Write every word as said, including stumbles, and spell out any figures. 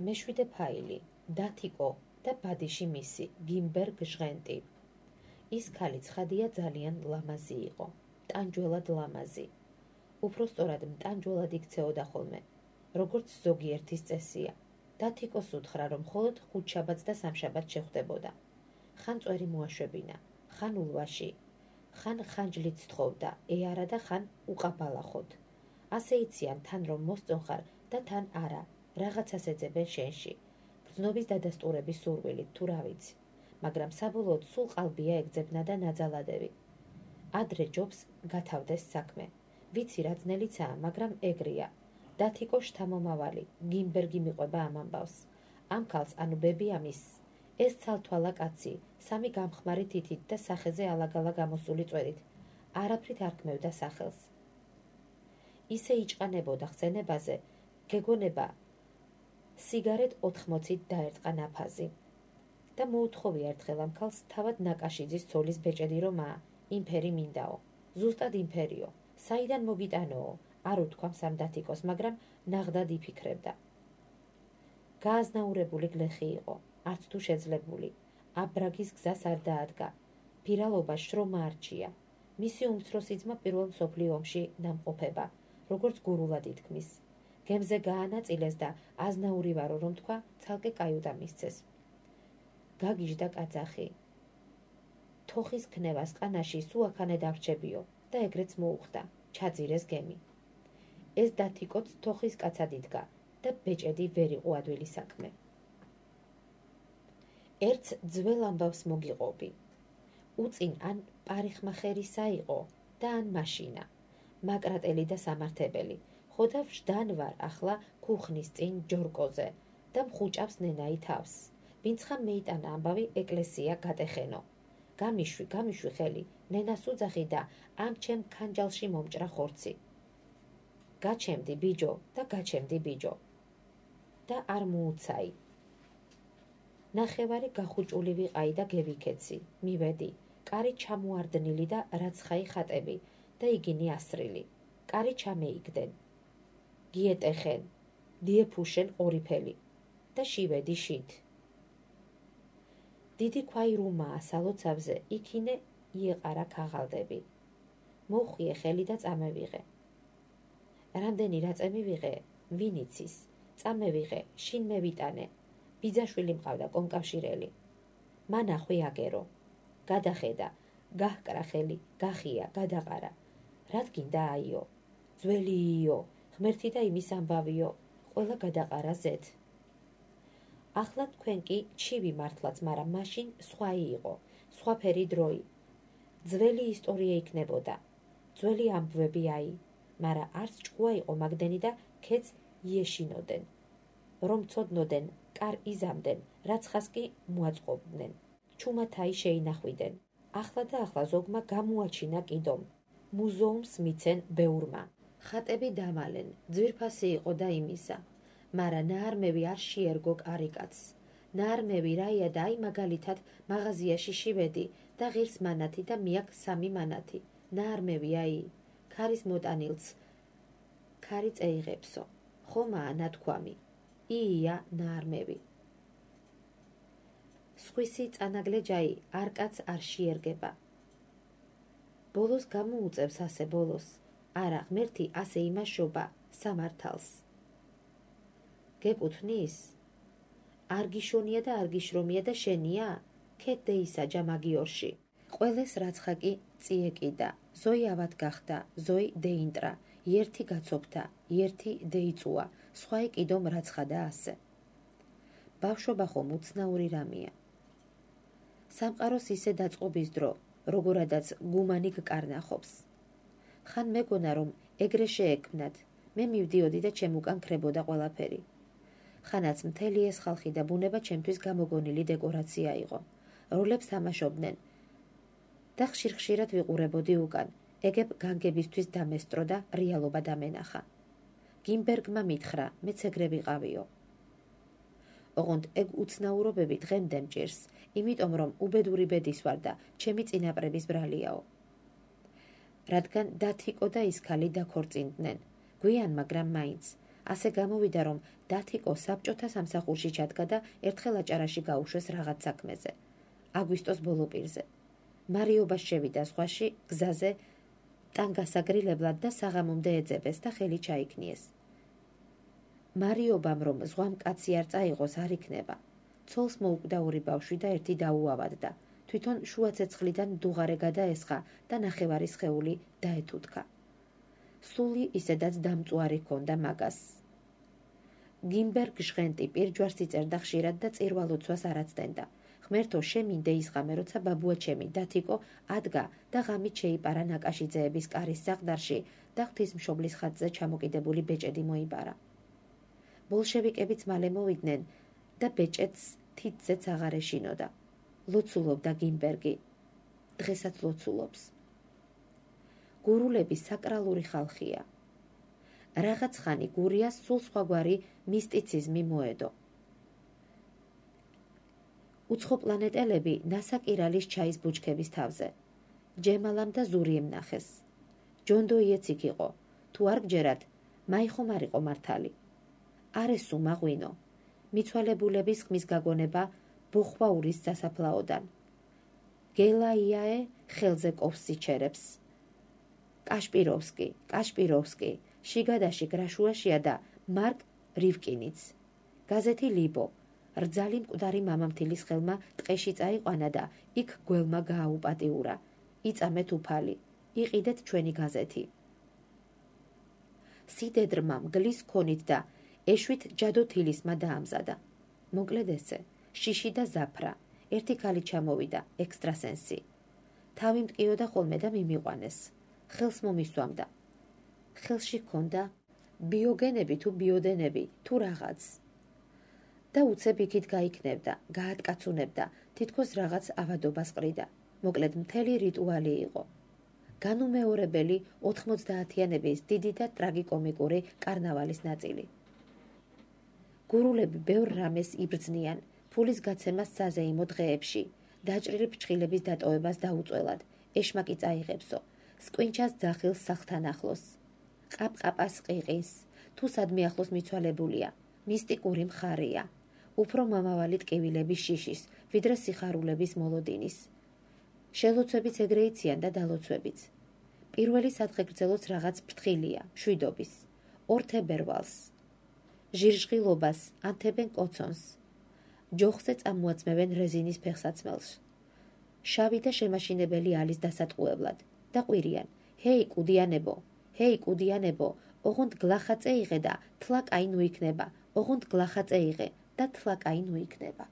მეშვიდე ფაილი, დათიკო და ბადიში მისი, გიმბერგ ჟღენტი. ის ქალი ცხადია ძალიან ლამაზი იყო, მტანჯველად ლამაზი. უფრო სწორად მტანჯველად იქცეოდა ხოლმე, როგორც ზოგიერთის წესია. დათიკოს უთხრა, რომ მხოლოდ ხუთშაბათს და სამშაბათს შეხვდებოდა. ხან წვერი მოაშვებინა, ხან ულვაში, ხან ხანჯლით სთხოვდა, ეარა და ხან უყაბალახოდ. ასე იციან თან რომ მოსწონხარ და თან არა, რაღაცას ეძებენ შენში, გრძნობის დადასტურების სურვილით თუ რა ვიცი, მაგრამ საბოლოოდ სულ ყალბია ეგძებნა და ნაძალადები. ადრე ჯობს გათავდეს საქმე. ვიცი რა ძნელიცაა, მაგრამ ეგრეა. დათიკო შთამომავალი, გიმბერგი მიყვება ამ ამბავს. ამ ქალს, ანუ ბებიამის, ეს ცალთვალა კაცი, სამი გამხმარი თითით და სახეზე ალაგალა გამოსული წვერით, არაფრით არ ქმევდა სახელს. ისე იჭყანებოდა ხსენებაზე, გეგონება სიგარეტ ოთხმოცით დაერტყა ნაფაზი. და მოუთხოვია ერთხელ ამ ქალს თავად ნაკაშიძის ცოლის ბეჭედი რომაა, იმფერი მინდაო, ზუსტად იმფერიო, საიდან მოგიტანოო, არ უთქვამს ამ დათიკოს, მაგრამ ნაღდად იფიქრებდა. გააზნაურებული გლეხი იყო, არც თუ შეძლებული, აბრაგის გზას არ დაადგა, ფირალობა შრომა არჩია. მისი უმცროსი ძმა პირველ მსოფლიო ომში დამყოფება, როგორც გურულად ითქმის. გემზე გაანაწილეს და აზნაური ვარო რომ თქვა, ცალკე კაიუტა მისცეს. გაგიჟდა კაძახი. თოხის ქნევას ყანაში სუაქანე დავრჩებიო და ეგრეც მოუხდა, ჩაძირეს გემი. ეს დათიკოც თოხის კაცად იდგა და ბეჭედი ვერ იყო ადვილი საქმე. ერთს ძველ ამბავს მოგიყოფი. უწინ ან პარიხმახერისა იყო და ან მაშინა, მაკრატელი და სამართებელი, ხოდა ვждან ვარ ახლა ქუხნის წინ ჯორკოზე და მხუჭავს ნენაი თავს. ვინც ხან მეიტანა ამბავი ეკლესია გატეხენო. გამიშვი, გამიშვი ხელი, ნენას უძახი და ამ ჩემ ქანჯალში მომჭრა ხორცი. გაჩემდი ბიჯო და გაჩემდი ბიჯო. და არ მოუცაი. ნახევარი გახუჭული ვიყაი და გევიქეცი, მივედი, კარი ჩამოარდნილი და რაცხაი ხატები და იგინი ასრილი. კარი ჩამეიგდენ. გიეტეხენ, დიეფუშენ ყორიფელი და შივედი შით. დიდი ქვაი რუმაა სალოცავზე, იქინე ieყარა ქაღალდები. მოხვიე ხელი და წამევიღე. რამდენი რაწე მივიღე, ვინ იცის, წამევიღე, შინ მევიტანე. ბიძაშვილი მყავდა კონკავშირელი. მანახვი აგერო. გადახედა, გაჰკრა ხელი, გახია, გადაყარა. რად გინდა აიო, ძველიო, ღმერთი და იმის ამბავიო, ყველა გადაყარა ზეთ. ახლა თქვენ კი ჩივი მართლაც, მაგრამ მაშინ სხვაი იყო, სხვაფერი დროი. ძველი ისტორია იქნებოდა, ძველი ამბვები აი, მაგრამ არც ჭკუა იყო მაგდენი და ქეც იეშინოდენ. რომ ცოდნოდენ, კარ იზამდნენ, რაცხას კი მოაწყობდნენ. ჩუმათაი შეინახვიდენ. ახლა და ახლა ზოგმა გამოაჩინა კიდომ. მუზეუმს მიცენ ბეურმა. ხატები დამალენ, ძვირფასი იყო და იმისა. მარა ნაარმევი არ შეერგო კარიკაც. ნაარმევი რაია და აი მაგალითად მაღაზიაში შივედი და ღირს მანათი და მიაკ სამი მანათი. ნაარმევი აი, ქარის მოტანილს, ქარი წეიღებსო. ხომაა ნათქვამი. ია ნაარმევი. სხვისი წანაგლე ჯაი არკაც არ შეერგება. ბოლოს გამოუწევს ასე ბოლოს. არა, ღმერთი ასე იმაშობა სამართალს. გეკუთვნის? არ გიშონია და არ გიშრომია და შენია? ქეთდეისა ჯამაგიორში. ყველეს რაცხა კი წიეკიდა. ზოი ავად გახდა, ზოი დეინტრა, ერთი გაცოფთა, ერთი დეიწუა, სხვაი კიდომ რაცხა და ასე. ბავშვობა ხომ უცნაური რამეა. სამყაროს ისე დაწყობის დრო, როგორადაც გუმანი გკარნახობს. ხან მეგონა რომ ეგრე შეექმნათ, მე მივდიოდი და ჩემ უკან ქრებოდა ყველაფერი. ხანაც მთელი ეს ხალხი და ბუნება ჩემთვის გამოგონილი დეკორაცია იყო. როლებს თამაშობდნენ და ხშირ-ხშირად ვიყურებოდი უკან. ეგებ განგებისთვის დამესტრო და რეალობა დამენახა. გიმბერგმა მითხრა, მეც ეგრე ვიყავიო. ოღონდ ეგ უცნაურობები დღემდე მჭირს, იმიტომ რომ უბედური ბედის ვარ და ჩემი წინაპრების ბრალიაო. რადგან დათიკო და ის ქალი დაქორწინდნენ, გვიან, მაგრამ მაინც, ასე გამოვიდა, რომ დათიკო საბჭოთა სამსახურში ჩადგა და ერთხელ აჭარაში გაუშვეს რაღაც საქმეზე. აგვისტოს ბოლო პირზე. მარიობას შევიდა ზღვაში, გზაზე ტანგასაგრილებლად და საღამომდე ეძებეს და ხელი ჩაიქნიეს. მარიობამ რომ ზღვამ კაცი არ წაიღოს არ იქნება. ცოლს მოუკვდაური ბავშვი და ერთი დაუავადდა. თვითონ შუა ცეცხლიდან დუღარე გადაესხა და ნახევარი სხეული დაეთუთქა. სული ისედაც დამწუარი ჰქონდა მაგას. გიმბერ გჟღენტი პირჯვარს იწერდა ხშირად და წირვალოცვას არ აცდენდა. ღმერთო, შემინდე ისღამე, როცა ბაბუა ჩემი დათიკო ადგა და ღამით შეიპარა ნაკაშიძეების კარის საყდარში და ღვთისმშობლის ხატზე ჩამოკიდებული ბეჭედი მოიბარა. ბოლშევიკებიც მალე მოვიდნენ და ბეჭედს თითზეც აღარ ეშინოდა. ლოცულობდა გიმბერგი. დღესაც ლოცულობს. გურულები საკრალური ხალხია. რაღაც ხანი გურიას სულ სხვაგვარი მისტიციზმი მოედო. უცხოპლანეტელები ნასაკირალის ჩაის ბუჩქების თავზე. ჯემალამ და ზურიემ ნახეს. ჯონდოიეც იქ იყო. თუ არ გჯერათ, მაიხომ არ იყო მართალი. არესუ მაღვინო. მიცვალებულების ხმის გაგონება ბოხვაურის სასაფლაოდან. გელაიაე ხელზე ყოფს სიჩერებს. კაშპიროვსკი, კაშპიროვსკი, შიგადაში გრაშუაშია და მარკ რივკინიც. გაზეთი ლიბო. რძალი მკვდარი მამამთილის ხელმა ტყეში წაიყვანა და იქ გველმა გააუპატიურა. იწამეთ უფალი. იყიდეთ ჩვენი გაზეთი. სიდედრმა მგლის ქონით და ეშვით ჯადოთილისმა დაამზადა. მოკლედ ესე, შიში და ზაფრა. ერთი ქალი ჩამოვიდა, ექსტრასენსი. თავი მტკიოდა ხოლმე და მიმიყვანეს. ხელს მომისვამდა. ხელში ჰქონდა ბიოგენები თუ ბიოდენები თუ რაღაც. და უცებ იქით გაიქნებდა, გაატკაცუნებდა, თითქოს რაღაც ავადობას ყრიდა. მოკლედ მთელი რიტუალი იყო. განუმეორებელი ოთხმოცდაათიანების დიდი და ტრაგიკომიკური კარნავალის ნაწილი. გურულები ბევრ რამეს იბრძნიან, ფულის გაცემას საზეიმო დღეებში, დაჭრილი ფრჩხილების დატოვებას დაუწველად, ეშმაკი წაიღებსო, სკვინჩას ძახილს სახლთან ახლოს, ყაპყაპას ყიყის, თუ სადმე ახლოს მიცვალებულია, მისტიკური მხარია, უფრო მომავალი ტკივილების შიშის, ვიდრე სიხარულების მოლოდინის. შელოცვებიც ეგრე იციან და დალოცვებიც. პირველი სადღეგრძელოც რაღაც ფრთხილია, მშვიდობის, ორთებერვალს, ჟირჟღილობას ანთებენ კოცონს, ჯოხზე წამოაცმევენ რეზინის ფეხსაცმელს, შავი და შემაშინებელი ალის დასატყუებლად და ყვირიან, ჰეი კუდიანებო, ჰეი კუდიანებო, ოღონდ გლახა წეიღე და თლა კაი ნუ იქნება, ოღონდ გლახა წეიღე და თლა კაი ნუ იქნება.